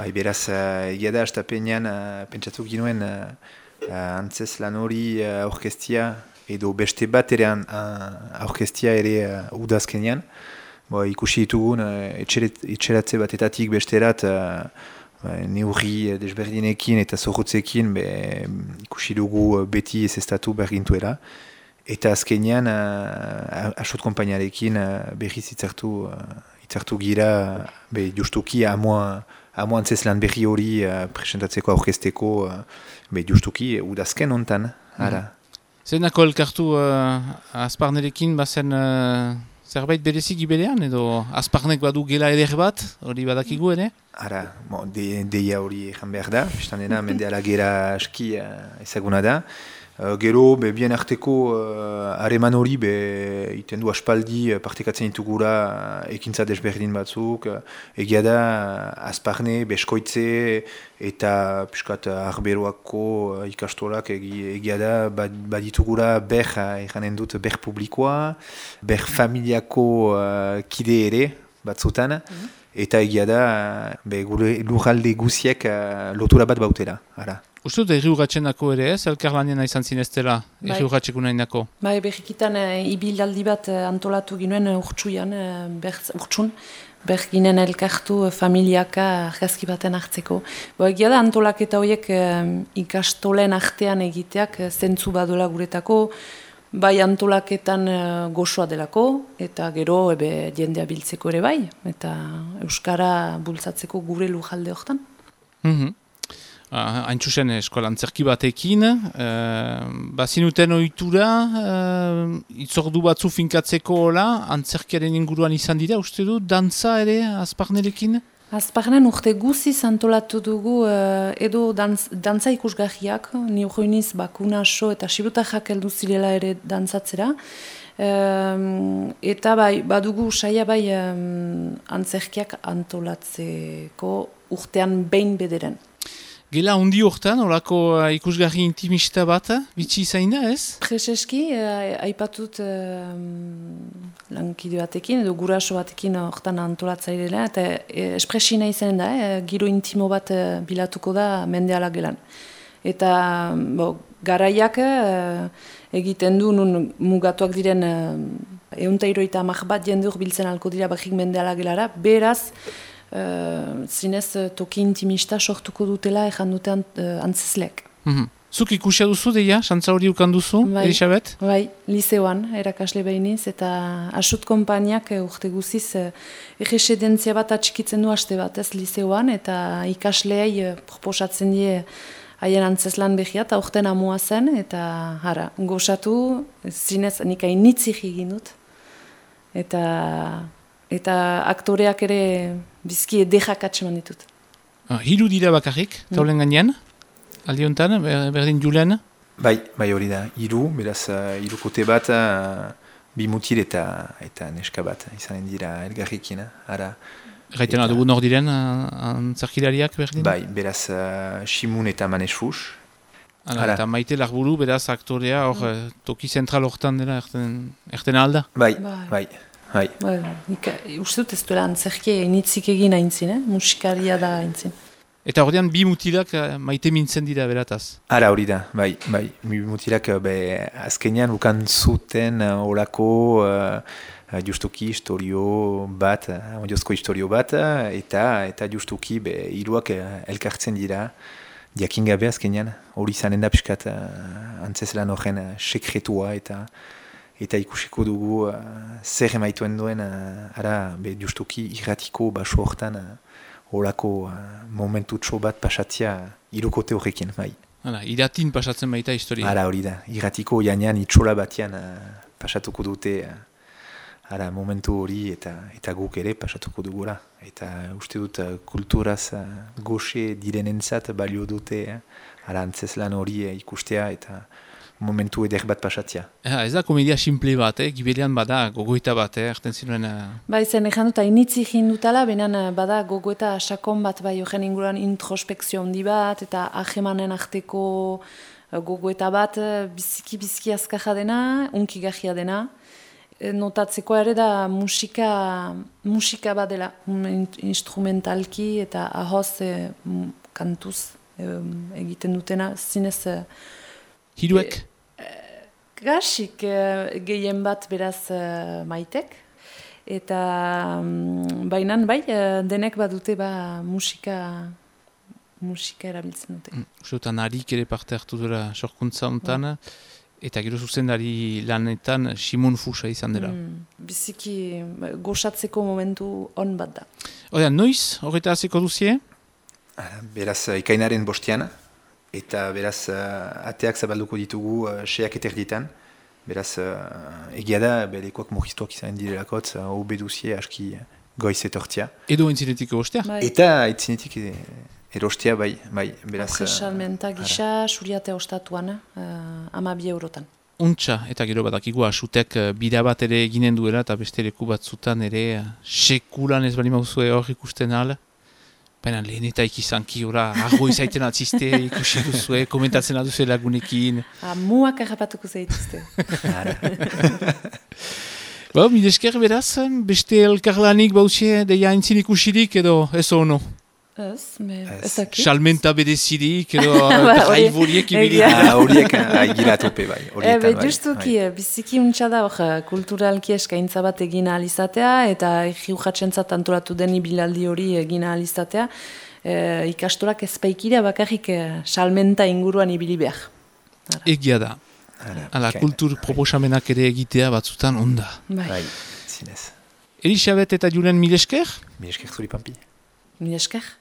Bai, beraz, egia da, astapenean, pentsatu ginuen antzez lan hori aurkestia, edo beste bat ere aurkestia ere udazkenean. Ikusi ditugun etxeratze batetatik besterat neurri desberdinekin eta zorrotzekin ikusi dugu beti ezestatu bergintuela. Eta azkenean, asot konpainiarekin berriz itzartu gira, justuki amo antzez lan berri hori presentatzeko aurkesteko, justuki udazken hontan. Zenako elkartu Azparnerekin bazen zerbait berezik gibelean, edo Azparnek badu gela eder bat, hori badakigu ere? Deia hori egan behar da, bestan dena, mendeala gera aski ezaguna da. Gero, bien arteko hareman hori, iten du aspaldi partekatzen ditugura ekintza desberdin batzuk, egia da Azparne, Beskoitze eta piskat Arberoako ikastolak egia da baditugura eganen dut ber publikoa, ber familiako kide ere batzutan, eta egia da lurralde guziek lotura bat bautela. Uste dut erriugatxenako ere ez, elkarlanean izan zineztela, erriugatxeko nahi nako? Berrikitan ibilaldi bat antolatu ginuen urtsuian, urtsun, berginen elkartu familiaka argazki baten hartzeko. Egia da antolaketa horiek ikastolen artean egiteak zentzu badola guretako, bai antolaketan gozoa delako, eta gero jendea biltzeko ere bai, eta Euskara bultzatzeko gure lujalde hortan. Haintzuzen eskolan antzerki batekin, bazinuten ohitura, itzordu batzu finkatzeko antzerkiaren inguruan izan dira, uste du, dantza ere Azparnerekin? Azparnen urte guziz antolatu dugu edo dantza ikusgarriak, ni urroiniz Bakunaso eta Sirutajak heldu zirela ere dantzatzera, eta badugu saia antzerkiak antolatzeko urtean behin bederen. Gela hundi hortan, horako ikusgarri intimista bat, bitxi izain da ez? Prezeski, aipatut lankide batekin, edo guraso batekin hortan antolatzairela, eta espresina izanen da, giro intimo bat bilatuko da mendeala gelan. Eta garaiak egiten du, nun mugatuak diren 150 bat jendur biltzen alko dira bakik mendeala gelara, beraz, zinez toki intimista sortuko dutela ejan dutean antzezleak. Zuk ikusia duzu deia, xantza hori ukan duzu, Elisabet? Bai, liseoan, erakasle behiniz, eta asut konpainiak urte guziz erresidentzia bat atxikitzen du haste bat, ez liseoan, eta ikasleei proposatzen die haien antzezlan behia, eta urten amua zen, eta gozatu, zinez nik hainitzik egin dut, eta aktoreak ere bizki edekak atseman ditut. Hiru dira bakarrik, taulen gainean, aldi honetan, berdin Julen? Bai hori da, beraz hirukote bat, bi mutil eta neska bat, izanen dira elgarrikin. Gaiten adugu nor diren antzarkilariak berdin? Bai, beraz Simun eta Manes Fus. Eta Maite Larburu, beraz aktorea, toki zentral hortan dela, erten alda? Bai. Uste dut ez duela antzerki initzik egin aintzin, musikaria da aintzin. Eta horrean bi mutilak maite mintzen dira berataz? Hori da, bai. Bi mutilak azkenean ukan zuten horako justuki historio bat, ondiozko historio bat, eta justuki hiruak elkartzen dira, diakin gabe azkenean, hori zanen da piskat antzeslan horren sekretua eta ikusiko dugu zer emaituen duen justuki irratiko baso hortan horako momentutxo bat pasatzea hirukote horrekin, bai. Iratin pasatzen baita historia. Hori da, irratiko janean itxola batean pasatuko dute momentu hori eta guk ere pasatuko dugula. Eta uste dut kulturaz goxe direnentzat balio dute antzeslan hori ikustea eta momentu eder bat pasatzea. Ez da komedia simple bat, gibelian bada gogoeta bat, erten zinuen... Zen egin dut, hainitzi egin dutala, benen bada gogoeta sakon bat, horren inguruan introspekzio handi bat, eta ahemanen arteko gogoeta bat, biziki azkarra dena, unkigarria dena, notatzeko ere da musika bat dela, instrumentalki eta ahoz kantuz egiten dutena, zinez... Hiruek? Gasik gehien bat beraz maitek, eta bainan bai, denek badute musika erabiltzen dute. Usteotan harik ere parte hartu dela sorkuntza hontan, eta gero zuzendari lanetan Simon Fusa izan dela. Biziki goxatzeko momentu on bat da. Noiz, horreta hasiko duzie? Beraz, ikainaren bostiana, eta beraz, ateak zabalduko ditugu seak eterditan. Beraz, egia da, belekoak murriztuak izan direlakotz, hobe duzie aski goiz etortzia. Edo entzinetik ostea? Eta entzinetik erostea, bai. Beraz, salmenta gisa, suriate ostatuan, 12 eurotan. Untxa, eta gero badakigu asutek bira bat ere eginen duela, eta beste leku batzutan ere sekulan ez bali mauzue hor ikusten ala. Baina lehenetak izanki, argo izaiten atziste, ikusi duzue, komentatzen aduzue lagunekin. Muak errapatuko zaituzte. Midesker beraz, beste elkarlanik bauzie, deia entzin ikusirik edo ez ono? Ez dakit. Salmenta bedezirik edo traiboriek ibili. Horiek agilatupe bai. Justuki, biziki untsa da kulturalki eskaintza bat egin ahal izatea, eta jiujatzentzat antolatu den ibilaldi hori egin ahal izatea, ikastorak ezpaikira bakarrik salmenta inguruan ibili behar. Egia da. Kultur proposamenak ere egitea batzutan onda. Bai, zinez. Elisabet eta Julen milesker? Milesker zuri pampi. Milesker.